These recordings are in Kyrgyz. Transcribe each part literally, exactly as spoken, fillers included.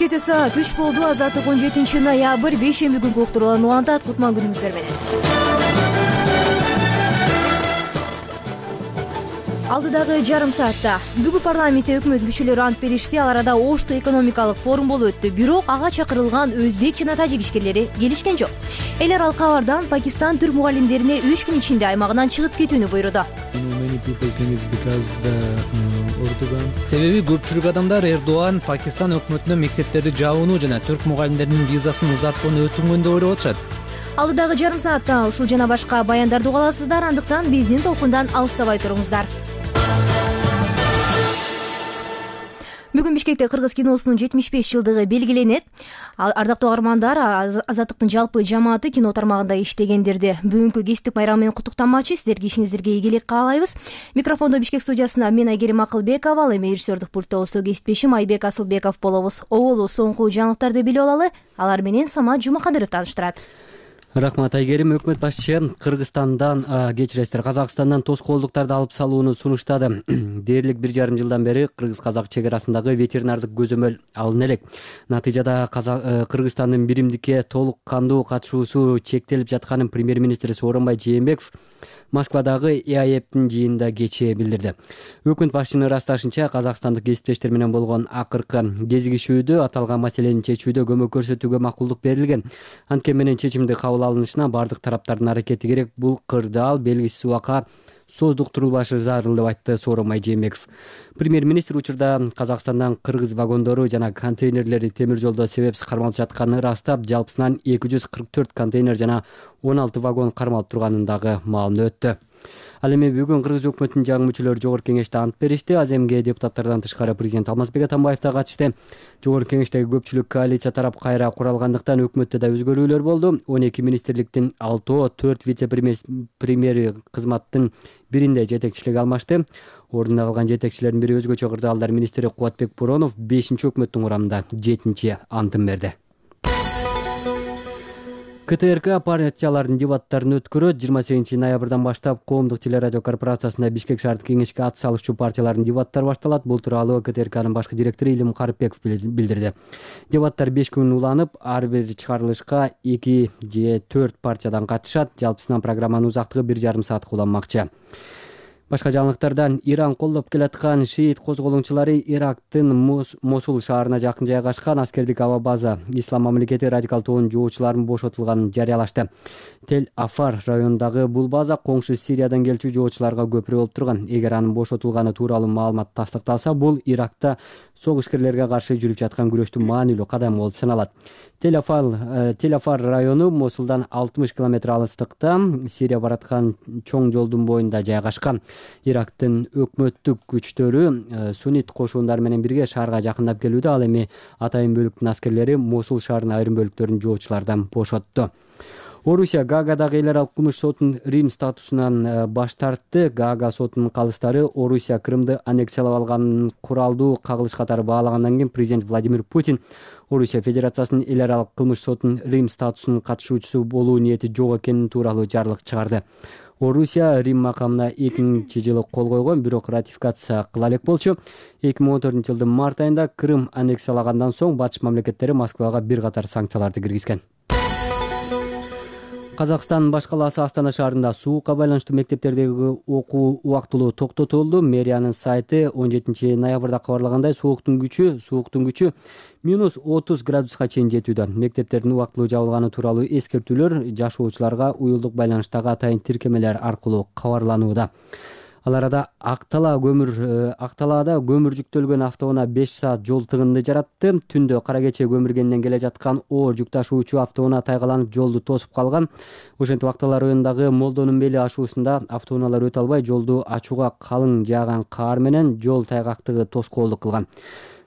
жети саат үч болду. Азаттык он жетинчи ноябрь бейшемби күнкү уктуруулан улантат. Кутман күнүңүздөр менен. Алдыдагы жарым саатта бүгүн парламентте өкмөт мүчөлөрү ант беришти. Ал арада Ошто экономикалык форум болуп өттү. Бирок ага чакырылган өзбек жана тажик ишкерлери келишкен жок. Эл аралык кабардан Пакистан түрк мугалимдерине үч күн ичинде аймагынан чыгып кетүүнү буйруду. Себеби көпчүлүк адамдар Эрдоган Пакистан өкмөтүнө мектептерди жабууну жана түрк мугалимдеринин визасын узарткууну өтүнгөн деп ойлоп атышат. Алдыдагы жарым саатта ушул жана башка баяндарды уга аласыздар. Андыктан биздин толкундан алыстабай туруңуздар. Бүгүн Бишкекте Кыргыз киносунун жетимиш беш жылдыгы белгиленет. Ардактуу угармандар, Азаттыктын жалпы жамааты кино тармагында иштегендерди бүгүнкү кесиптик байрам менен куттуктамакчы. Сиздерге ишиңиздерге ийгилик каалайбыз. Микрофондо Бишкек студиясында мен Айгерим Акылбекова, ал эми режиссердик пультта болсо кесиптешим Айбек Асылбеков болобуз. Оболу соңку жаңылыктарды билип алалы. Алар менен Самат Жумакадыров тааныштырат. Рахмат Айгерим. Өкмөт башчы Кыргызстандан, кечиресиздер, Казакстандан тоскоолдуктарды алып салууну сунуштады. Дээрлик бир жарым жылдан бери кыргыз-казак чек арасындагы ветеринардык көзөмөл алына элек. Натыйжада Кыргызстандын биримдикке толук кандуу катышуусу чектелип жатканын премьер-министр Сооронбай Жээнбеков Москвадагы и а е п'тин жыйынында кечээ билдирди. Өкмөт башчынын ырасташынча, казакстандык кесиптештер менен болгон акыркы кезигишүүдө аталган маселени чечүүдө көмөк көрсөтүүгө макулдук берилген. Анткени менен чечимди кабыл алынышына бардык тараптардын аракети керек. Бул кырдаал белгисиз убакка создуктурулбашы зарыл деп айтты Сооронбай Жээнбеков. Премьер-министр учурда Казакстандан кыргыз вагондору жана контейнерлери темир жолдо себепсиз кармалып жатканын ырастап, жалпысынан эки жүз кырк төрт контейнер жана он алты вагон кармалып турганын дагы маалымдап өттү. Ал эми бүгүн Кыргыз өкмөтүнүн жаңы мүчөлөрү жогорку кеңеште ант беришти. Аземге депутаттардан тышкары президент Алмазбек Атамбаев да катышты. Жогорку кеңештеги көпчүлүк коалиция тарап кайра куралгандыктан өкмөттө да өзгөрүүлөр болду. он эки министрликтин алтоо, төрт вице-премьери кызматтын биринде жетекчилик алмашты. Ордунда калган жетекчилердин бири өзгөчө кырдаалдар министри Кубатбек Буронов бешинчи өкмөттүн курамында жетинчи антын берди. ка тэ эр ка партиялардын дебаттарын өткөрөт. жыйырма сегизинчи ноябрдан баштап Коомдук телерадио корпорациясында Бишкек шаардык кеңешке ат салышчу партиялардын дебаттары башталат. Бул тууралуу ка тэ эр канын башкы директору Илим Карыпбеков билдирди. Дебаттар беш күн уланып, ар бир чыгарылышка эки же төрт партиядан катышат. Жалпысынан программанын узактыгы бир жарым саатка уланмакчы. Башка жаңылыктардан Иран колдоп келаткан шиит козголоңчулары Ирактын Мосул шаарына жакын жайгашкан аскердик аба база Ислам мамлекети радикал тобунун жоочуларынын бошотулганын жарыялашты. Тель-Афар районундагы бул база коңшу Сириядан келчү жоочуларга көпүрө болуп турган. Эгер анын бошотулганы тууралуу маалымат тастыкталса, бул Иракта согушкерлерге каршы жүрүп жаткан күрөштүн маанилүү кадамы болуп саналат. Тель-Афар району Мосулдан алтымыш километр алыстыкта Сирия бараткан чоң жолдун боюнда жайгашкан. Ирактын өкмөттүк күчтөрү суннит кошуундары менен бирге шаарга жакындап келүүдө. Ал эми атайын бөлүктүн аскерлери Мосул шаарынын айрым бөлүктөрүн жоочулардан бошотту. Орусия Гаагадагы эл аралык кылмыш сотунун Рим статусунан баш тартты. Гаага сотунун калыстары Орусия Крымды аннексиялап алганын куралдуу кагылыш катары баалагандан кийин президент Владимир Путин Орусия Федерациясынын эл аралык кылмыш сотунун Рим статусунун катышуучусу болуу ниети жок экени тууралуу жарлык чыгарды. Орусия Рим макамына эки миңинчи жылы кол койгон, бирок ратификация кыла элек болчу. эки миң он төртүнчү жылдын март айында Крым аннексиялагандан соң батыш мамлекеттери Москвага бир катар санкцияларды киргизген. Казакстандын баш калаасы Астана шаарында суукка байланыштуу мектептердеги окуу убактылуу токтотулду. Мэриянын сайты он жетинчи ноябрда кабарлагандай, сууктун күчү сууктун күчү минус отуз градуска чейин жетүүдө. Мектептердин убактылуу жабылганы тууралуу эскертүүлөр жашоочуларга уюлдук байланыштагы атайын тиркемелер аркылуу кабарланууда. Ал арада Актала көмүр Акталаада көмүр жүктөлгөн автоунаа беш саат жол тыгынды жаратты. Түндө кара кече көмүргенден келе жаткан оор жүк ташуучу автоунаа тайгаланып жолду тосуп калган. Ошентип Актала районундагы Молдонун бели ашуусунда автоунаалар өтө албай, жолду ачууга калың жааган каар менен жол тайгактыгы тоскоолдук кылган.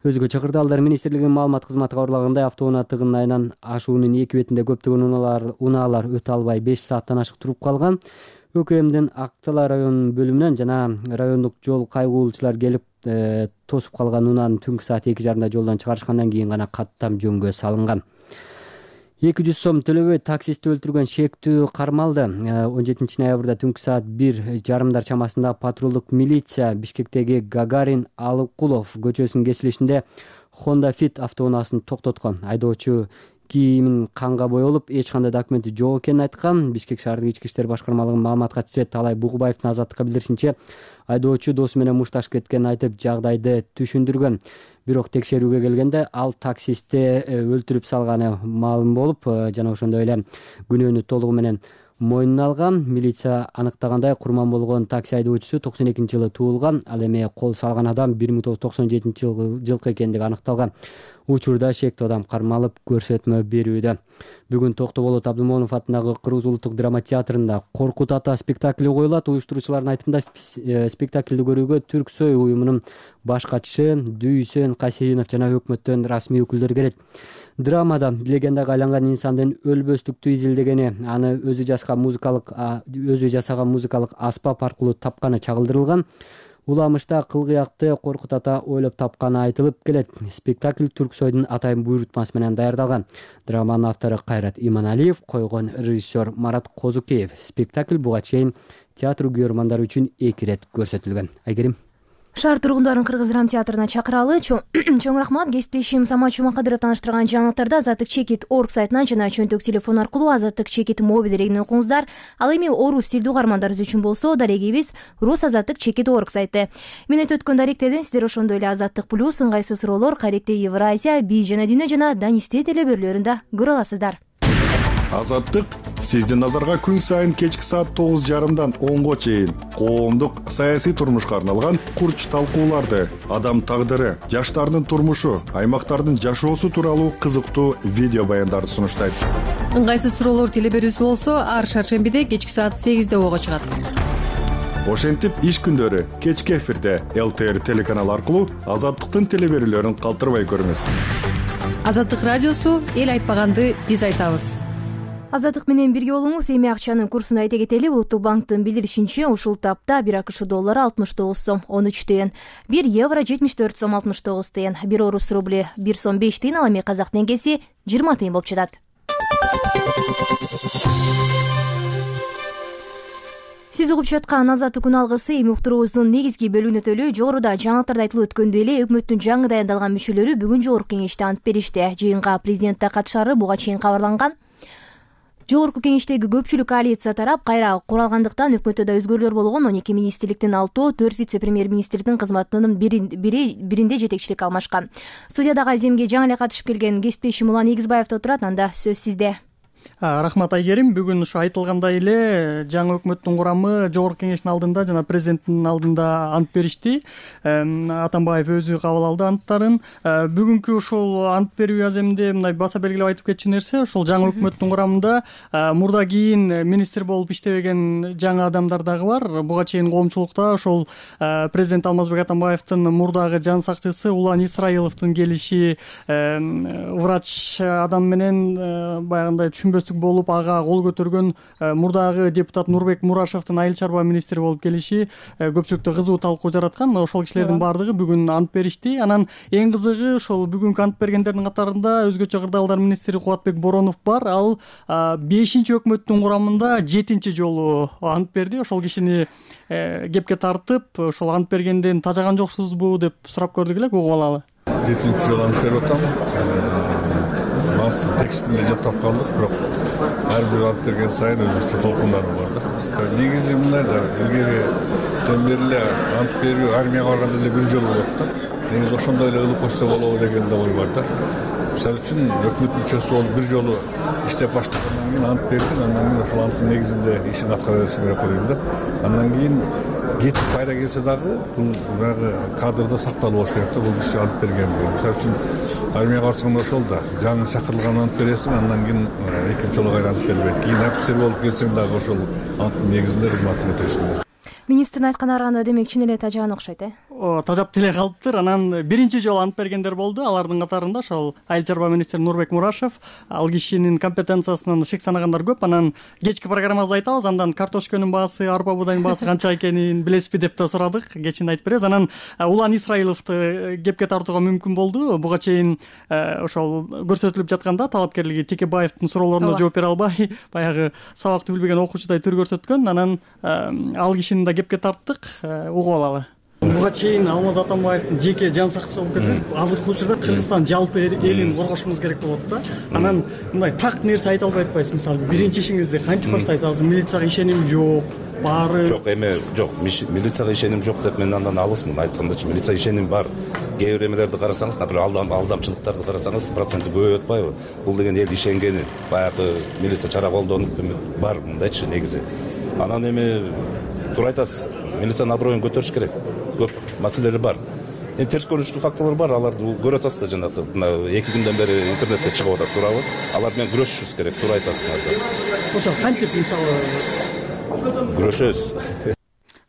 Өзгөчө кырдаалдар министрлигинин маалымат кызматы кабарлагандай, автоунаа тыгынын айынан ашуунун эки бетинде көптөгөн унаалар унаалар өтө албай беш сааттан ашык туруп калган. ӨКМдин Актала районунун бөлүмүнөн жана райондук жол кайгуулчулар келип тосуп калган унааны түнкү саат эки жарымда жолдон чыгарышкандан кийин гана каттам жөнгө салынган. эки жүз сом төлөбөй таксистти өлтүргөн шектүү кармалды. он жетинчи ноябрда түнкү саат бир жарымдар чамасында патрулдук милиция Бишкектеги Гагарин Алыкулов көчөсүнүн кесилишинде Honda Fit автоунаасын токтоткон. Айдоочу кийимин канга боелуп, эч кандай документи жок экенин айткан. Бишкек шаардык ички иштер башкармалыгынын маалымат катчысы Талай Бугубаевдин Азаттыкка билдиришинче, айдоочу досу менен мушташып кеткенин айтып, жагдайды түшүндүргөн. Бирок текшерүүгө келгенде ал таксистти өлтүрүп салганы маалым болуп, жана ошондой эле күнөөнү толугу менен мойнуна алган. Милиция аныктагандай, курман болгон такси айдоочусу токсон экинчи жылы туулган. Ал эми кол салган адам бир миң тогуз жүз токсон жетинчи жылкы экендиги аныкталган. Учурда шектүү адам кармалып көрсөтмө берүүдө. Бүгүн Токтоболот Абдымомунов атындагы Кыргыз улуттук драма театрында Коркут ата спектакли коюлат. Уюштуруучулардын айтымында, спектакльди көрүүгө Түрксой уюмунун баш катчысы Дүйсөн Касейинов жана өкмөттөн расмий өкүлдөр келет. Драмада легендага айланган инсандын өлбөстүктү изилдегени, аны өзү жазган музыкалык өзү жасаган музыкалык аспап аркылуу тапканы чагылдырылган. Уламышта кылгыякты Коркут ата ойлоп тапканы айтылып келет. Спектакль Түрксойдун атайын буйрутмасы менен даярдалган. Драманын автору Кайрат Иманалиев, койгон режиссер Марат Козукеев. Спектакль буга чейин театр көрөрмандары үчүн эки ирет көрсөтүлгөн. Айгерим. Шаар тургундарын Кыргыз драмтеатрына чакыралы. Чоң рахмат. Кесиптешим Самат Жумакадыров таныштырган жаңылыктарды Азаттык чекит орг сайтынан жана чөнтөк телефон аркылуу Азаттык чекит мобил дерегинен окуңуздар. Ал эми орус тилдүү угармандарыбыз үчүн болсо, дарегибиз рус Азаттык чекит орг сайты. Менет өткөн даректерден сиздер ошондой эле Азаттык плюс, ыңгайсыз суроолор, Каректе Евразия, Биз жана Дүйнө жана Данисте телебөрлөрүндө көрө аласыздар. Азаттык сиздин назарга күн сайын кечки саат тогуз жарымдан онго чейин коомдук саясий турмушка арналган курч талкууларды, адам тагдыры, жаштардын турмушу, аймактардын жашоосу тууралуу кызыктуу видео баяндарды сунуштайт. Ыңгайсыз суроолор телеберүүсү болсо, ар шаршембиде кечки саат сегизде ого чыгат. Ошентип иш күндөрү кечки эфирде эл тэ эр телеканалы аркылуу Азаттыктын телеберүүлөрүн калтырбай көрүңүз. Азаттык радиосу эл айтпаганды биз айтабыз. Азаттык менен бирге болуңуз. Эми акчанын курсун айта кетели. Улуттук банктын билдиришинче, ушул тапта бир акш доллары алтымыш тогуз сом он үч тыйын, бир евро жетимиш төрт сом алтымыш тогуз тыйын, бир орус рубли бир сом беш тыйын, ал эми казак теңгеси жыйырма тыйын болуп жатат. Сиз угуп жаткан Азаттык күн алгысы эми уктуруубуздун негизги бөлүгүнө төлөө. Жогоруда жаңылыктарда айтылып өткөндөй эле, өкмөттүн жаңы дайындалган мүчөлөрү бүгүн жогорку кеңеште ант беришти. Жыйынга президент да катышары буга чейин кабарланган. Жогорку кеңештеги көпчүлүк коалиция тарап кайра куралгандыктан өкмөттө да өзгөрүүлөр болгон. он эки министрликтин алтоо, төрт вице-премьер-министрдин кызматынын биринде жетекчилик алмашкан. Студиядагы аземге жаңы эле катышып келген кесиптешим Улан Эгизбаев отурат. Анда сөз сизде. Рахмат Айгерим. Бүгүн ушу айтылгандай эле жаңы өкмөттүн курамы жогорку кеңештин алдында жана президенттин алдында ант беришти. Атамбаев өзү кабыл алды анттарын. Бүгүнкү ушул ант берүү аземинде мындай баса белгилеп айтып кетчү нерсе, ушул жаңы өкмөттүн курамында мурда кийин министр болуп иштебеген жаңы адамдар дагы бар. Буга чейин коомчулукта ошол президент Алмазбек Атамбаевдин мурдагы жан сакчысы Улан Исраиловдун келиши, врач адам менен баягындай түшүнбөстүк болуп ага кол көтөргөн мурдагы депутат Нурбек Мурашевдин айыл чарба министри болуп келиши көпчүлүктө кызуу талкуу жараткан. Ошол кишилердин баардыгы бүгүн ант беришти. Анан эң кызыгы ошол бүгүнкү ант бергендердин катарында өзгөчө кырдаалдар министри Кубатбек Боронов бар. Ал бешинчи өкмөттүн курамында жетинчи жолу ант берди. Ошол кишини кепке тартып, ошол ант бергенден тажаган жоксузбу деп сурап көрдүк эле, угуп алалы. жетинчи жолу ант берип атам. Текстин эле жаттап калдык, бирок ар бир ант берген сайын өзүнчө толкундары бар да. Негизи мындай да, илгериден бери эле ант берүү армияга барганда эле бир жолу болот да. Негизи ошондой эле ылып койсо болобу деген да ой бар да. Мисалы үчүн өкмөт мүчөсү болуп бир жолу иштеп баштагандан кийин ант берген, андан кийин ошол анттын негизинде ишин аткара бериши керек болуп эле. Андан кийин кетип кайра келсе дагы бул баягы кадрда сакталып болуш керек да, бул киши ант берген. Мисалы үчүн армияга барсаң ошол да, жаңы чакырылган ант бересиң, андан кийин экинчи жолу кайра ант бербейт. Кийин офицер болуп келсең дагы ошол анттын негизинде кызматын өтөшүң керек. Министрдин айтканына караганда, демек чын эле тажаган окшойт, э? Тажап деле калыптыр. Анан биринчи жолу ант бергендер болду. Алардын катарында ошол айыл чарба министри Нурбек Мурашев. Ал кишинин компетенциясынан шек санагандар көп. Анан кечки программабызда айтабыз. Андан картошканын баасы, арпа буудайдын баасы канча экенин билесизби деп да сурадык. Кечин айтып беребиз. Анан Улан Исраиловду кепке тартууга мүмкүн болду. Буга чейин ошол көрсөтүлүп жатканда талапкерлиги Текебаевдин суроолоруна жооп бере албай, баягы сабакты билбеген окуучудай түр көрсөткөн. Анан ал кишини да кепке тарттык, угуп алалы. буга чейин Алмаз Атамбаевдин жеке жан сакчысы болуп келсе, азыркы учурда Кыргызстан жалпы элин коргошубуз керек болот да. Анан мындай так нерсе айта албай атпайсыз. Мисалы биринчи ишиңизди кантип баштайсыз? Азыр милицияга ишеним жок, баары жок. Эме жок, милицияга ишеним жок деп мен андан алысмын. Айткандачы милицияга ишеним бар. Кээ бир эмелерди карасаңыз, например, алдамчылыктарды карасаңыз, проценти көбөйүп атпайбы? Бул деген эл ишенгени, баягы милиция чара колдонуп бар мындайчы негизи. Анан эми туура айтасыз, милициянын аброюн көтөрүш керек. Көп маселелери бар. Эми терс көрүнүштүү факторлор бар, аларды көрүп атасыз да, жанагы мына эки күндөн бери интернетте чыгып атат, туурабы? Алар менен күрөшүшүбүз керек, туура айтасыз. Ошо кантип мисалы күрөшөбүз?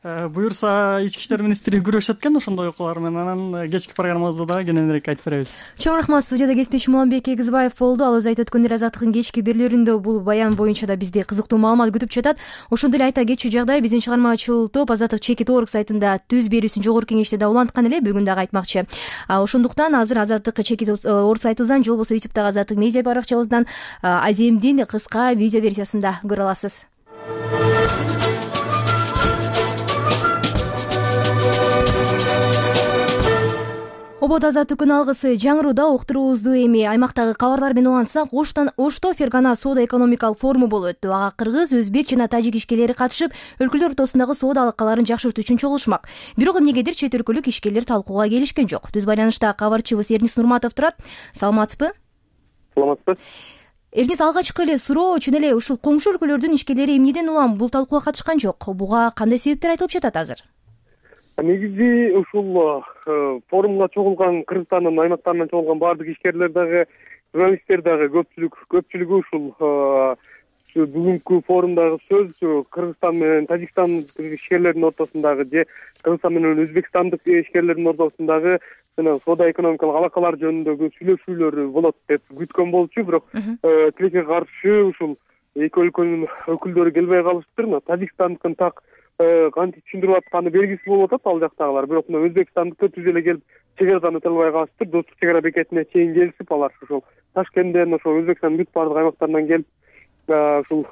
Буюрса, ички иштер министри күрөшөт экен ошондой окуялар менен. Анан кечки программабызда дагы кененирээк айтып беребиз. Чоң рахмат. Студияда кесипдешим Уланбек Эгизбаев болду. Ал өзү айтып өткөндөй, Азаттыктын кечки берүүлөрүндө бул баян боюнча да бизди кызыктуу маалымат күтүп жатат. Ошондой эле айта кетчү жагдай, биздин чыгармачыл топ Азаттык чекит точка орг сайтында түз берүүсүн жогорку кеңеште да уланткан эле, бүгүн дагы айтмакчы. Ошондуктан азыр Азаттык чекит точка орг сайтыбыздан же болбосо ютубтагы Азаттык медиа баракчабыздан Аземдин кыска видео версиясында көрө аласыз. Обод азаттыктын алгысы жаңырууда уктуруубузду эми аймактагы кабарлар менен улантсак, Оштан Ошто Фергана соода экономикалык форуму болуп өттү. Ага кыргыз, өзбек жана тажик ишкерлери катышып, өлкөлөр ортосундагы соода алакаларын жакшыртуу үчүн чогулушмак. Бирок эмнегедир чет өлкөлүк ишкерлер талкууга келишкен жок. Түз байланышта кабарчыбыз Эрнис Нурматов турат. Саламатсызбы? Саламатсызбы. Эрнис, алгачкы эле суроо чын эле ушул коңшу өлкөлөрдүн ишкерлери эмнеден улам бул талкууга катышкан жок? Буга кандай себептер айтылып жатат азыр? Негизи ушул форумга чогулган Кыргызстандын аймактарынан чогулган баардык ишкерлер дагы, журналисттер дагы көпчүлүк көпчүлүгү ушул бүгүнкү форумдагы сөз Кыргызстан менен Тажикстан ишкерлеринин ортосундагы же Кыргызстан менен Өзбекстандык ишкерлердин ортосундагы жана соода экономикалык алакалар жөнүндөгү сүйлөшүүлөр болот деп күткөн болчу. Бирок тилекке каршы ушул эки өлкөнүн өкүлдөрү келбей калыштыр. Тажикстандыкын так кантип түшүндүрүп атканы белгисиз болуп атат ал жактагылар. Бирок мына Өзбекстандыкы түз эле келип чек арадан өтө албай калыштыр. Достук чек ара бекетине чейин келишип, алар ошол Ташкенттен, ошол Өзбекстандын бүт баардык аймактарынан келип, ушул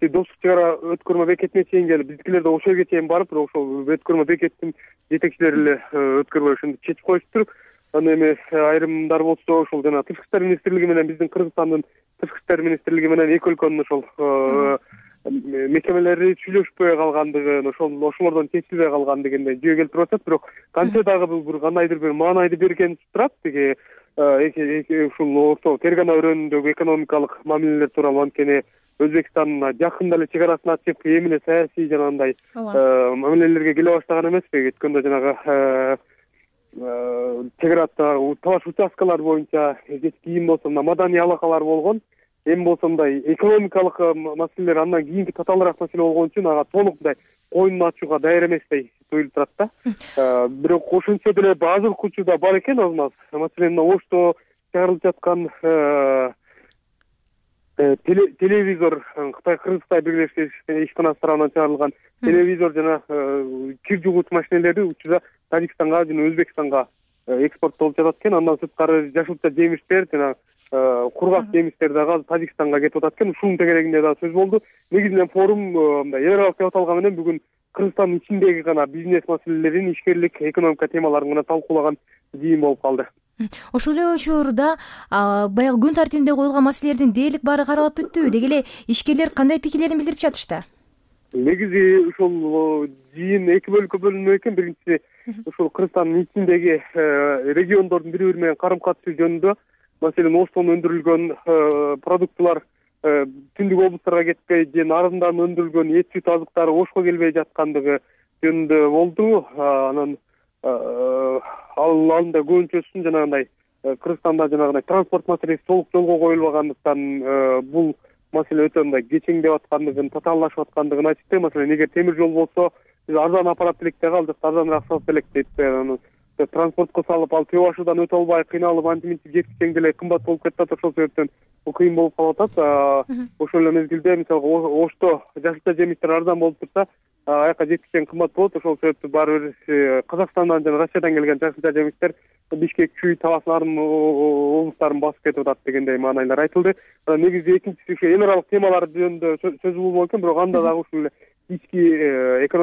достук чек ара өткөрмө бекетине чейин келип, биздикилер да ошол жерге чейин барып, бирок ошол өткөрмө бекеттин жетекчилери эле өткөрбөй ошентип чечип коюштур. Анан эми айрымдар болсо ошол жана Тышкы иштер министрлиги менен биздин Кыргызстандын Тышкы иштер министрлиги менен эки өлкөнүн ошол мекемелери сүйлөшпөй калгандыгын, ошол ошолордон чечилбей калган дегендей жөө келтирип атат. Бирок канча дагы бул бир кандайдыр бир маанайды берген турат. Теги ушул орто Фергана өрөөнүндөгү экономикалык мамилелер тууралуу анткени Өзбекстан жакында эле чек арасын ачып, эми эле саясий жанагындай мамилелерге келе баштаган эмеспи? Өткөндө жанагы чек арада талаш участкалар боюнча кийин болсо мына маданий алакалар болгон. Эми болсо мындай экономикалык маселелер андан кийинки татаалыраак маселе болгон үчүн ага толук мындай коюнун ачууга даяр эместей туюлуп турат да. Бирок ошентсе деле азыркы учурда бар экен азмаз. Маселен, Ошто чыгарылып жаткан телевизор, Кытай Кыргызстан бирлешкен ишканасы тарабынан чыгарылган телевизор жана кир жугуучу машинелери учурда Тажикстанга жана Өзбекстанга экспорттолуп жатат экен. Андан сырткары жашылча жемиштер жана кургак жемиштер дагы Тажикстанга кетип атат экен. Ушунун тегерегинде дагы сөз болду. Негизинен форум мындай эл аралык деп аталган менен бүгүн Кыргызстандын ичиндеги гана бизнес маселелерин, ишкерлик, экономика темаларын гана талкуулаган жыйын болуп калды. Ошол эле учурда баягы күн тартибинде коюлган маселелердин дээрлик баары каралып бүттүбү? Деги эле ишкерлер кандай пикирлерин билдирип жатышты? Негизи ушул жыйын эки бөлүккө бөлүнмөк экен. Биринчиси ушул Кыргызстандын ичиндеги региондордун бири бири менен карым катышы жөнүндө. Маселен, Оштон өндүрүлгөн продуктылар түндүк облустарга кетпей, же нарындан өндүрүлгөн эт сүт азыктары Ошко келбей жаткандыгы жөнүндө болду. Анан ал анда көбүнчөсүн жанагындай Кыргызстанда жанагындай транспорт маселеси толук жолго коюлбагандыктан бул маселе өтө мындай кечеңдеп аткандыгын, татааллашып аткандыгын айтты. Маселен, эгер темир жол болсо, биз арзан апарат элек деги, ал жакта арзаныраак сатып элек дейт. Транспортко салып, ал Төө башыдан өтө албай кыйналып, антиминтип жеткичең деле кымбат болуп кетип атат. Ошол себептен бул кыйын болуп калып атат. Ошол эле мезгилде мисалга Ошто жашылча жемиштер арзан болуп турса, аяка жеткичең кымбат болот. Ошол себептен баары бир Казакстандан жана Россиядан келген жашылча жемиштер Бишкек, Чүй, Талас нарын облустарын басып кетип атат дегендей маанайлар айтылды. Негизи экинчиси ушу эл аралык темалар жөнүндө сөз болмок экен, бирок анда дагы ушул ички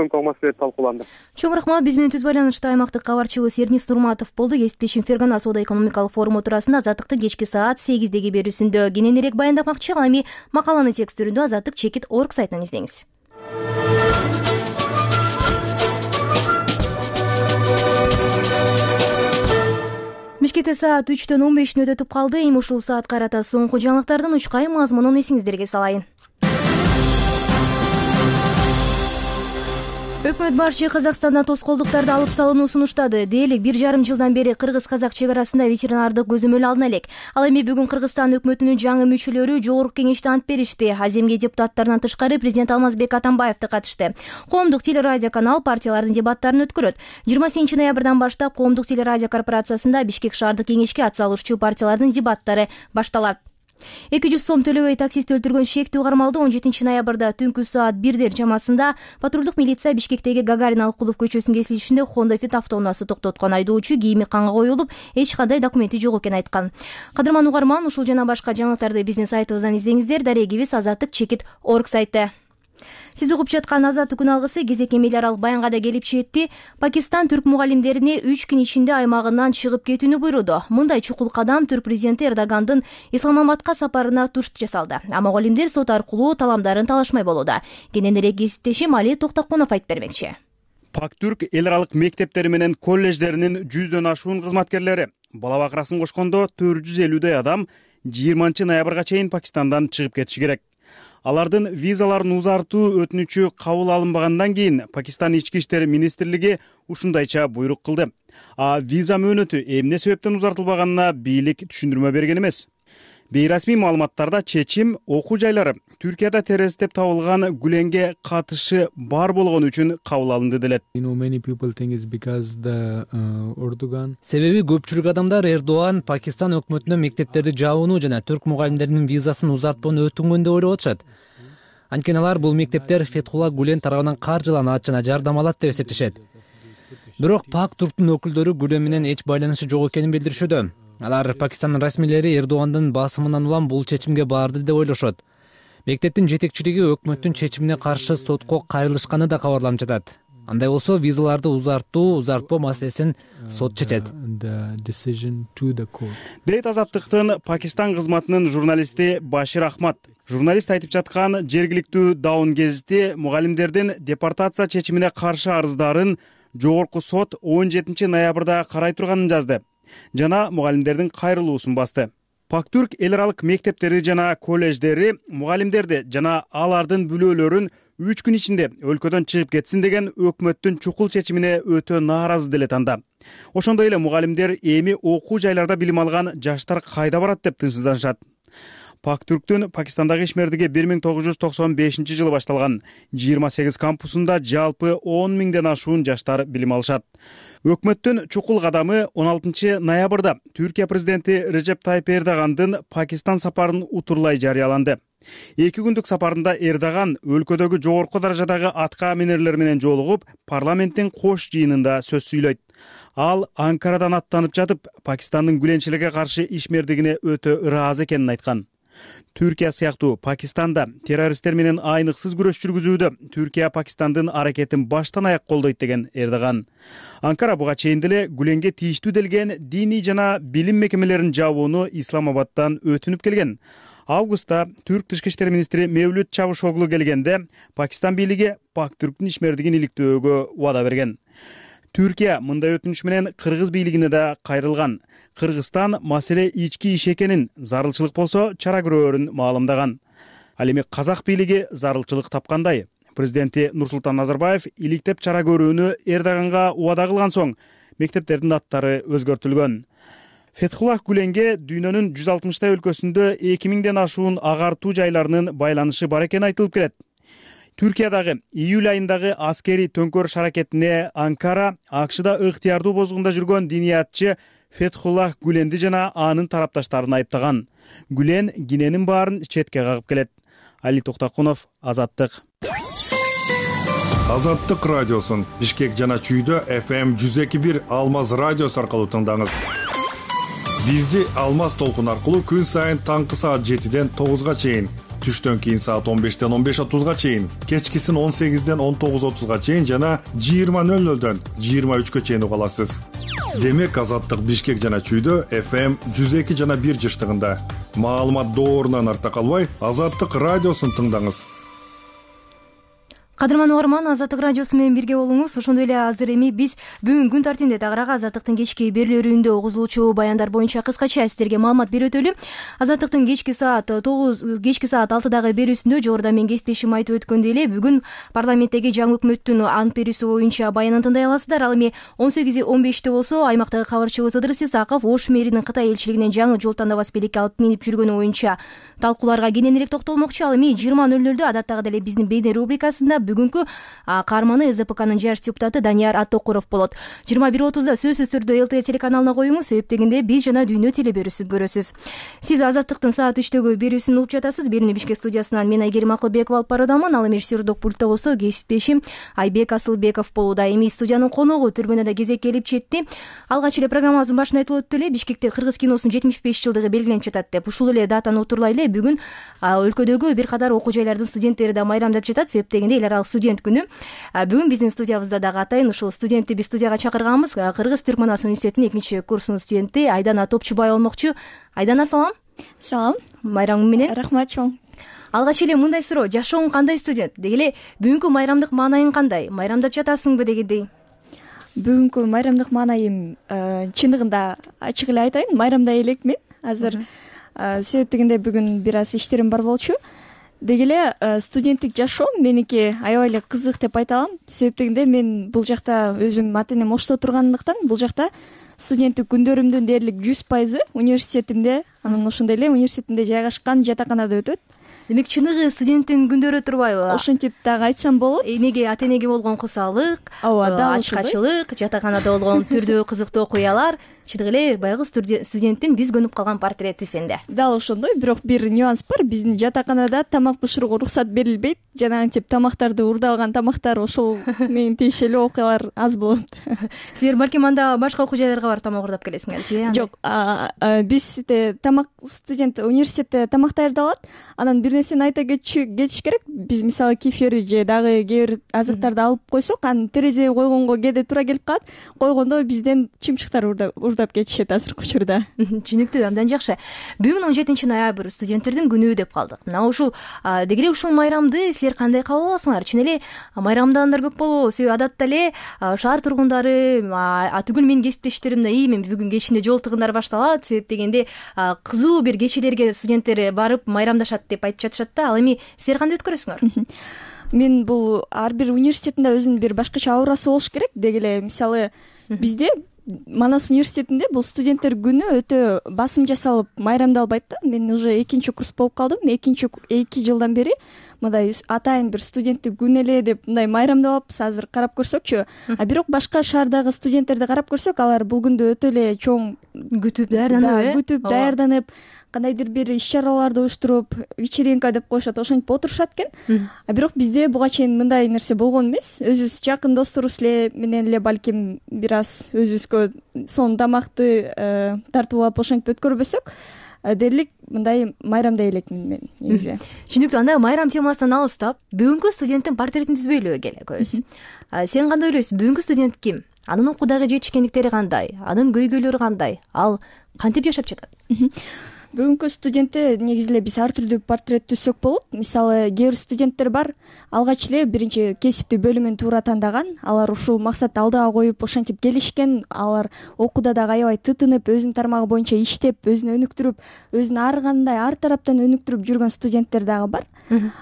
экономикалык маселелер талкууланды. Чоң рахмат. Биз менен түз байланышта аймактык кабарчыбыз Эрнис Нурматов болду. Кесиптешим Фергана соода экономикалык форуму туурасында Азаттыктын кечки саат сегиздеги берүүсүндө кененирээк баяндамакчы. Ал эми макаланы текстүрүндө азаттык чекит точка орг сайтынан издеңиз. Бишкекте саат үчтөн он бешин өтүп калды. Эми ушул саатка карата соңку жаңылыктардын учкай мазмунун эсиңиздерге салайын. Өкмөт башчы Казакстандан тоскоолдуктарды алып салууну сунуштады. Дээрлик бир жарым жылдан бери кыргыз-казак чек арасында ветеринардык көзөмөл алына элек. Ал эми бүгүн Кыргызстан өкмөтүнүн жаңы мүчөлөрү жогорку кеңеште ант беришти. Аземге депутаттарынан тышкары президент Алмазбек Атамбаев да катышты. Коомдук телерадиоканал партиялардын дебаттарын өткөрөт. жыйырма сегизинчи ноябрдан баштап Коомдук телерадио корпорациясында Бишкек шаардык кеңешке ат салуучу партиялардын дебаттары башталат. эки жүз сом төлөбөй таксист өлтүргөн шектүү кармалды он жетинчи ноябрда түнкү саат бирдер чамасында патрулдук милиция Бишкектеги Гагарин Алыкулов көчөсүнүн кесилишинде Honda Fit автоунаасы токтоткон. Айдоочу кийими канга коюлуп, эч кандай документи жок экенин айткан. Кадырман угарман, ушул жана башка жаңылыктарды биздин сайтыбыздан издеңиздер. Дарегибиз азаттык чекит точка орг сайты. Сиз угуп жаткан Азаттык күн алгысы кезек эми эл аралык баянга да келип жетти. Пакистан түрк мугалимдерине үч күн ичинде аймагынан чыгып кетүүнү буйруду. Мындай чукул кадам түрк президенти Эрдогандын Исламабадка сапарына турш жасалды. А мугалимдер сот аркылуу таламдарын талашмай болууда. Кененирээк кесиптешим Али Токтокунов айтып бермекчи. Пактүрк эл аралык мектептери менен коллеждеринин жүздөн ашуун кызматкерлери бала бакырасын кошкондо төрт жүз элүүдөй адам жыйырманчы ноябрга чейин Пакистандан чыгып кетиши керек. Алардын визаларын узартуу өтүнүчү кабыл алынбагандан кийин Пакистан ички иштер министрлиги ушундайча буйрук кылды. А виза мөөнөтү эмне себептен узартылбаганына бийлик түшүндүрмө берген эмес. Бейрасмий маалыматтарда чечим окуу жайлары Түркияда террорист деп табылган Гүленге катышы бар болгону үчүн кабыл алынды делет. Себеби көпчүлүк адамдар Эрдоган Пакистан өкмөтүнө мектептерди жабууну жана түрк мугалимдеринин визасын узартпоону өтүнгөн деп ойлоп атышат. Анткени алар бул мектептер Фетхулла Гүлен тарабынан каржыланат жана жардам алат деп эсептешет. Бирок Пактүрктүн өкүлдөрү Гүлен менен эч байланышы жок экенин билдиришүүдө. Алар Пакистандын расмийлери Эрдогандын басымынан улам бул чечимге барды деп ойлошот. Мектептин жетекчилиги өкмөттүн чечимине каршы сотко кайрылышканы да кабарланып жатат. Андай болсо визаларды узартуу, узартпоо маселесин сот чечет. Дейт Азаттыктын Пакистан кызматынын журналисти Башир Ахмад. Журналист айтып жаткан жергиликтүү Даун гезити мугалимдердин депортация чечимине каршы арыздарын жогорку сот он жетинчи ноябрда карай турганын жазды жана мугалимдердин кайрылуусун басты. Пактүрк эл аралык мектептери жана коллеждери мугалимдерди жана алардын бүлөлөрүн үч күн ичинде өлкөдөн чыгып кетсин деген өкмөттүн чукул чечимине өтө нааразы делет анда. Ошондой эле мугалимдер эми окуу жайларда билим алган жаштар кайда барат деп тынчсызданышат. Пактүрктүн Пакистандагы ишмердиги бир миң тогуз жүз токсон бешинчи жылы башталган. жыйырма сегиз кампусунда жалпы он миңден ашуун жаштар билим алышат. Өкмөттүн чукул кадамы он алтынчы ноябрда Түркия президенти Режеп Тайып Эрдогандын Пакистан сапарын утурлай жарыяланды. Эки күндүк сапарында Эрдоган өлкөдөгү жогорку даражадагы атка минерлер менен жолугуп, парламенттин кош жыйынында сөз сүйлөйт. Ал Анкарадан аттанып жатып, Пакистандын Гүленчилерге каршы ишмердигине өтө ыраазы экенин айткан. Түркия сыяктуу Пакистанда террористтер менен айныксыз күрөш жүргүзүүдө Түркия Пакистандын аракетин баштан аяк колдойт деген Эрдоган. Анкара буга чейин деле Гүленге тийиштүү делген диний жана билим мекемелерин жабууну Исламабадтан өтүнүп келген. Августта Түрк тышкы иштер министри Мевлют Чавушоглу келгенде Пакистан бийлиги Пактүрктүн ишмердигин иликтөөгө убада берген. Түркия мындай өтүнүш менен кыргыз бийлигине да кайрылган. Кыргызстан маселе ички иш экенин, зарылчылык болсо чара көрөөрүн маалымдаган. Ал эми казак бийлиги зарылчылык тапкандай. Президенти Нурсултан Назарбаев иликтеп чара көрүүнү Эрдоганга убада кылган соң мектептердин аттары өзгөртүлгөн. Фетхуллах Гүленге дүйнөнүн жүз алтымыштай өлкөсүндө эки миңден ашуун агартуу жайларынын байланышы бар экени айтылып келет. Түркиядагы июль айындагы аскери төңкөрүш аракетине Анкара АКШда ыктыярдуу бозгунда жүргөн диниятчы Фетхуллах Гүленди жана анын тарапташтарын айыптаган. Гүлен Гиненин баарын четке кагып келет. Али Токтокунов, Азаттык. Азаттык радиосун Бишкек жана Чүйдө эф эм жүз эки бир Алмаз радиосу аркылуу тыңдаңыз. Бизди Алмаз толкун аркылуу күн сайын таңкы саат жетиден тогузга чейин түштөн кийин саат он бештен он беш отузга чейин, кечкисин он сегизден он тогуз отузга чейин жана жыйырма нөл нөлдөн жыйырма үчкө чейин уга аласыз. Демек Азаттык Бишкек жана Чүйдө эф эм жүз эки жана бир жыштыгында. Маалымат доорунан артта калбай, Азаттык радиосун тыңдаңыз. Кадырман угарман, Азаттык радиосу менен бирге болуңуз. Ошондой эле азыр эми биз бүгүн күн тартибинде тагыраак Азаттыктын кечки берүүлөрүндө угузулуучу баяндар боюнча кыскача сиздерге маалымат берип өтөлү. Азаттыктын кечки саат тогуз кечки саат алтыдагы берүүсүндө жогоруда мен кесиптешим айтып өткөндөй эле бүгүн парламенттеги жаңы өкмөттүн ант берүүсү боюнча баянын тыңдай аласыздар. Ал эми он сегиз он беште болсо аймактагы кабарчыбыз Ыдырыс Исаков Ош мэринин Кытай элчилигинен жаңы жол тандабас белекке алып минип жүргөнү боюнча талкууларга кененирээк токтолмокчу. Ал эми жыйырма нөл нөлдө адаттагыдай эле биздин бейне рубрикасында бүгүнкү каарманы эс ди пэ кнын жаш депутаты Данияр Аттокуров болот. жыйырма бир отузда сөзсүз түрдө эл тэ телеканалына коюңуз, себеп дегенде биз жана дүйнө теле берүүсүн көрөсүз. Сиз Азаттыктын саат үчтөгү берүүсүн угуп жатасыз. Берүүнү Бишкек студиясынан мен Айгерим Акылбекова алып баруудамын. Ал эми режиссердик пультта болсо кесиптешим Айбек Асылбеков болууда. Эми студиянын коногу түрбөнө да кезек келип жетти. Алгач эле программабыздын башында айтылып өттү эле, Бишкекте кыргыз киносунун жетимиш беш жылдыгы белгиленип жатат деп. Ушул эле датаны утурлай эле бүгүн өлкөдөгү бир катар окуу жайлардын студенттери да майрамдап жатат. Себеп дегенде эл аралык студент күнү. Бүгүн биздин студиябызда дагы атайын ушул студентти биз студияга чакырганбыз. Кыргыз Түрк Манас университетинин экинчи курсунун студенти Айдана Топчубай болмокчу. Айдана, салам. Салам. Майрамың менен. Рахмат чоң. Алгач эле мындай суроо, жашооң кандай студент? Деги эле бүгүнкү майрамдык маанайың кандай? Майрамдап жатасыңбы дегендей? Бүгүнкү майрамдык маанайым чындыгында ачык эле айтайын, майрамдай элекмин азыр. Себеп дегенде бүгүн бир аз иштерим бар болчу. Деги эле студенттик жашоо меники аябай эле кызык деп айта алам. Себеп дегенде мен бул жакта өзүм ата энем Ошто тургандыктан бул жакта студенттик күндөрүмдүн дээрлик жүз пайызы университетимде, анан ошондой эле университетимде жайгашкан жатаканада өтөт. Демек чыныгы студенттин күндөрү турбайбы? Ошентип дагы айтсам болот. Эмеге ата энеге болгон кусалык, ачкачылык, жатаканада болгон түрдүү кызыктуу окуялар, чындык эле баягы студенттин биз көнүп калган портрети сенде. Дал ошондой, бирок бир нюанс бар. Биздин жатаканада тамак бышырууга уруксат берилбейт. Жанагынтип тамактарды урдалган тамактар ошол менен тиешелүү окуялар аз болот. Силер балким анда башка окуу жайларга барып тамак урдап келесиңерчи? Жок, бизде тамак студент университетте тамак даярдалат. Анан бир нерсени айта кетиш керек. Биз мисалы кефир же дагы кээ бир азыктарды алып койсок, анан терезеге койгонго кээде туура келип калат. Койгондо бизден чымчыктар урдап кетишет азыркы учурда. Түшүнүктүү, абдан жакшы. Бүгүн он жетинчи ноябрь студенттердин күнү деп калдык. Мына ушул деги эле ушул майрамды силер кандай кабыл аласыңар? Чын эле майрамдагандар көп болобу? Себеби адатта эле шаар тургундары, түгүл менин кесиптештерим да, мен бүгүн кечинде жол тыгындар башталат, себеп дегенде кызуу бир кечелерге студенттер барып майрамдашат деп айтып жатышат да. Ал эми силер кандай өткөрөсүңөр? Мен бул ар бир университетинде өзүнүн бир башкача аурасы болуш керек. Деги эле мисалы бизде Манас университетинде бул студенттер күнү өтө басым жасалып майрамдалбайт да. Мен уже экинчи курс болуп калдым. Экинчи эки жылдан бери мындай атайын бир студенттик күн эле деп мындай майрамдабаппыз. Азыр карап көрсөкчү. А бирок башка шаардагы студенттерди карап көрсөк, алар бул күндү өтө эле чоң күтүп даярданып, күтүп даярданып, кандайдыр бир иш-чараларды уюштуруп, вечеринка деп коюшат, ошентип отурушат экен. А бирок бизде буга чейин мындай нерсе болгон эмес. Өзүбүз жакын досторубуз эле менен эле балким бир аз өзүбүзгө сонун тамакты тартуулап ошентип өткөрбөсөк, дээрлик мындай майрамдай элекмин мен негизи. Түшүнүктүү. Анда майрам темасынан алыстап, бүгүнкү студенттин портретин түзбөйлү келекөбүз. Сен кандай ойлойсуң? Бүгүнкү студент ким? Анын окуудагы жетишкендиктери кандай? Анын көйгөйлөрү кандай? Ал кантип жашап жатат? Бүгүнкү студентте негизи эле биз ар түрдүү портрет түзсөк болот. Мисалы, кээ бир студенттер бар, алгач эле биринчи кесиптүү бөлүмүн туура тандаган, алар ушул максатты алдыга коюп ошентип келишкен, алар окууда дагы аябай тытынып, өзүнүн тармагы боюнча иштеп, өзүн өнүктүрүп, өзүн ар кандай ар тараптан өнүктүрүп жүргөн студенттер дагы бар.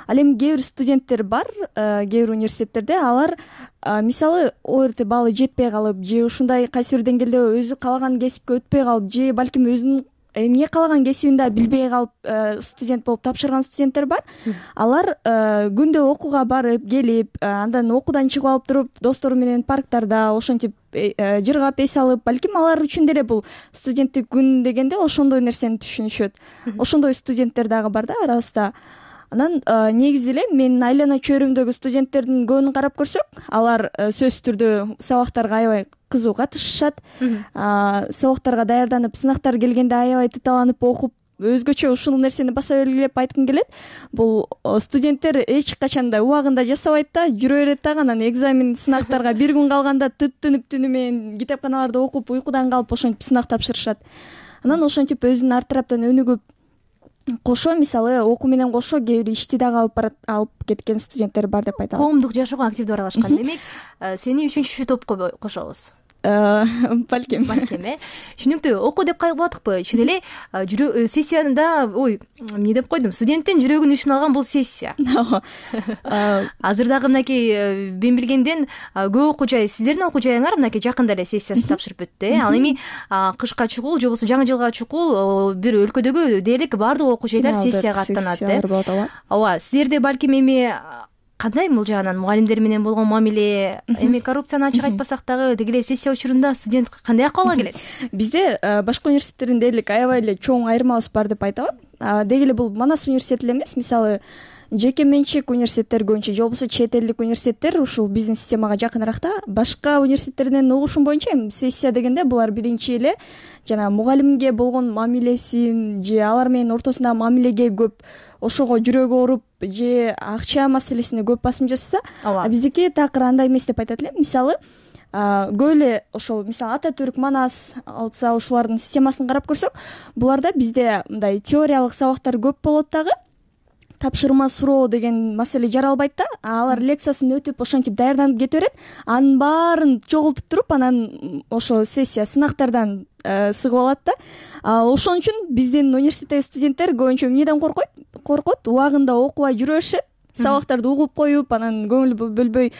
Ал эми кээ бир студенттер бар, кээ бир университеттерде алар мисалы орт баллы жетпей калып, же ушундай кайсы бир деңгээлде өзү каалаган кесипке өтпөй калып, же балким өзүнүн эмне каалаган кесибин да билбей калып студент болуп тапшырган студенттер бар. Алар күндө окууга барып, келип, андан окуудан чыгып алып туруп, достору менен парктарда ошентип жыргап эс алып, балким алар үчүн деле бул студенттик күн дегенде ошондой нерсени түшүнүшөт. Ошондой студенттер дагы бар да арабызда. Анан негизи эле менин айлана чөйрөмдөгү студенттердин көбүн карап көрсөк, алар сөзсүз түрдө сабактарга аябай кызуу катышышат. Сабактарга даярданып, сынактар келгенде аябай тыталанып окуп өзгөчө ушул нерсени баса белгилеп айткым келет. Бул студенттер эч качан да убагында жасабайт да, жүрө берет дагы. Анан экзамен, сынактарга бир күн калганда тыттынып түнү менен китепканаларда окуп, уйкудан калып ошентип сынак тапшырышат. Анан ошентип өзүнүн ар тараптан өнүгүп, кошо мисалы окуу менен кошо кээ бир ишти дагы алып барат, алып кеткен студенттер бар деп айта алам. Коомдук жашоого активдүү аралашкан. Демек, сени үчүнчү топко кошобуз. Балким балким э түшүнүктүү. Окуу деп кайгып атыкпы? Чын эле жүрө сессияда ой эмне деп койдум, студенттин жүрөгүн үчүн алган бул сессия. Азыр дагы мынакей мен билгенден көп окуу жай, сиздердин окуу жайыңар мынакей жакында эле сессиясын тапшырып бүттү э. Ал эми кышка чукул же болбосо жаңы жылга чукул бир өлкөдөгү дээрлик баардык окуу жайлар сессияга аттанат э. Ооба, силерде балким эми кандай бул жагынан мугалимдер менен болгон мамиле, эми коррупцияны ачык айтпасак дагы деги эле сессия учурунда студент кандай акыбалга келет? Бизде башка университеттердин дээрлик аябай эле чоң айырмабыз бар деп айта алам. Деги эле бул Манас университети эле эмес, мисалы жеке менчик университеттер көбүнчө же болбосо чет элдик университеттер ушул биздин системага жакыныраак да. Башка университеттерден угушум боюнча эми сессия дегенде булар биринчи эле жана мугалимге болгон мамилесин же алар менен ортосундагы мамилеге көп, ошого жүрөгү ооруп же акча маселесине көп басым жасаса, а биздики такыр андай эмес деп айтат элем. Мисалы көп эле ошол мисалы Ататүрк, Манас, алса ушулардын системасын карап көрсөк, буларда бизде мындай теориялык сабактар көп болот дагы, тапшырма суроо деген маселе жаралбайт да. Алар лекциясын өтүп ошентип даярданып кете берет, анын баарын чогултуп туруп анан ошо сессия сынактардан сыгып алат да. Ошон үчүн биздин университеттеги студенттер көбүнчө эмнеден коркойт? Коркот, убагында окубай жүрө беришет, сабактарды угуп коюп, анан көңүл бөлбөй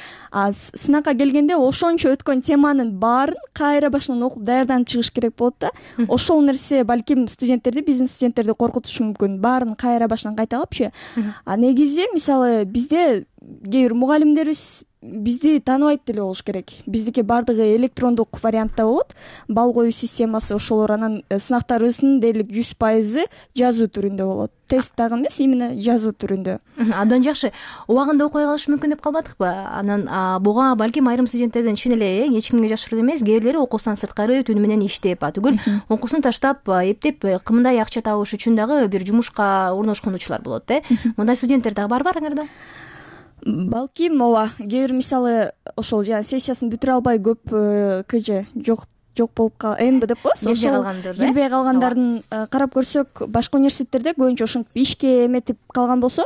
сынакка келгенде ошончо өткөн теманын баарын кайра башынан окуп даярданып чыгыш керек болот да. Ошол нерсе балким студенттерди, биздин студенттерди коркутушу мүмкүн. Баарын кайра башынан кайталапчы. А негизи мисалы бизде кээ бир мугалимдерибиз бизди тааныбайт деле болуш керек. Биздики баардыгы электрондук вариантта болот. Бал коюу системасы ошолор, анан сынактарыбыздын дээрлик жүз пайызы жазуу түрүндө болот. Тест дагы эмес, именно жазуу түрүндө. Абдан жакшы. Убагында окуй калыш мүмкүн деп калбадыкпы? Анан буга балким айрым студенттерден чын эле эч кимге жашыруу эмес, кээ бирлери окуусунан сырткары түнү менен иштеп, түгүл окуусун таштап, эптеп кымдай акча табыш үчүн дагы бир жумушка орношкон учурлар болот э. Мындай студенттер дагы бар барыңарда? Балким ооба, кээ бир мисалы ошол жана сессиясын бүтүрө албай көп КЖ жок жок болуп кал эн бэ деп коебуз. Ошол келбей калгандардын карап көрсөк, башка университеттерде көбүнчө ошентип ишке эметип калган болсо,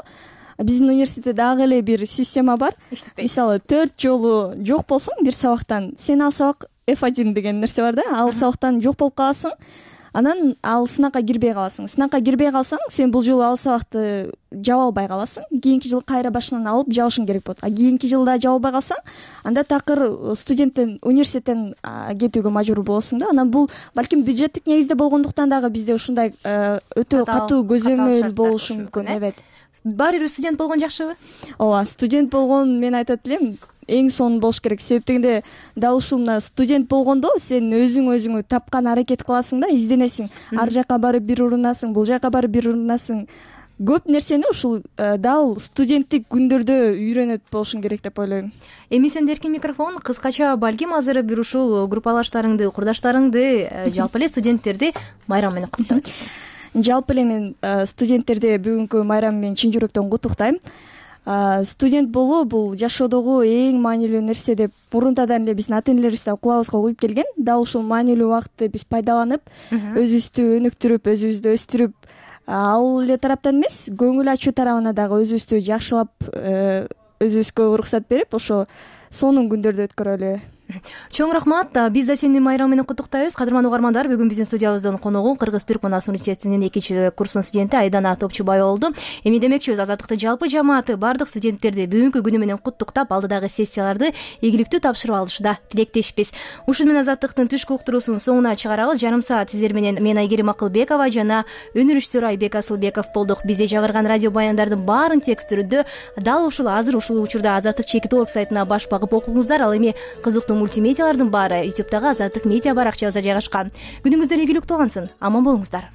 биздин университетте дагы эле бир система бар. Мисалы төрт жолу жок болсоң бир сабактан, сен ал сабак эф один деген нерсе бар да, ал сабактан жок болуп каласың. Анан ал сынакка кирбей каласың. Сынакка кирбей калсаң, сен бул жолу ал сабакты жаба албай каласың. Кийинки жыл кайра башынан алып жабышың керек болот. А кийинки жылда жаба албай калсаң, анда такыр студенттен, университеттен кетүүгө мажбур болосуң да. Анан бул балким бюджеттик негизде болгондуктан дагы бизде ушундай өтө катуу көзөмөл болушу мүмкүн. Evet. Баары бир студент болгон жакшыбы? Ооба, студент болгон мен айтат элем, эң сонун болуш керек. Себеп дегенде дал ушул мына студент болгондо сен өзүң өзүңү тапкан аракет кыласың да, изденесиң. Ар жака барып бир урунасың, бул жака барып бир урунасың. Көп нерсени ушул дал студенттик күндөрдө үйрөнөт болушуң керек деп ойлойм. Эми сенде эркин микрофон, кыскача балким азыр бир ушул группалаштарыңды, курдаштарыңды, жалпы эле студенттерди майрам менен куттуктап өтөсүң. Жалпы эле мен студенттерди бүгүнкү майрам менен чын жүрөктөн куттуктайм. Студент болуу бул жашоодогу эң маанилүү нерсе деп мурунтадан эле биздин ата энелерибиз да кулабыбызга куюп келген. Дал ушул маанилүү убакытты биз пайдаланып, өзүбүздү өнүктүрүп, өзүбүздү өстүрүп, ал эле тараптан эмес, көңүл ачуу тарабына дагы өзүбүздү жакшылап, өзүбүзгө уруксат берип, ошо сонун күндөрдү өткөрөлү. Чоң рахмат. Биз да сени майрам менен куттуктайбыз. Кадырман угармандар, бүгүн биздин студиябыздын коногу Кыргыз-Түрк Манас университетинин экинчи курсунун студенти Айдана Топчубай болду. Эми демекчибиз, Азаттыктын жалпы жамааты бардык студенттерди бүгүнкү күнү менен куттуктап, алдыдагы сессияларды ийгиликтүү тапшырып алышында тилектешпиз. Ушун менен Азаттыктын түшкү уктуруусунун соңуна чыгарабыз. Жарым саат сиздер менен мен Айгерим Акылбекова жана өнөр ишчиси Айбек Асылбеков болдук. Бизде жабырган радио баяндардын баарын текст түрүндө дал ушул азыр ушул учурда Азаттык чекит орг сайтына баш багып окуңуздар. Ал эми кызыктуу мультимедиалардын ютубтагы Азаттык медиа баракчабызда жайгашкан. Күнүңүздөр ийгиликтүү болгонсун. Аман болуңуздар.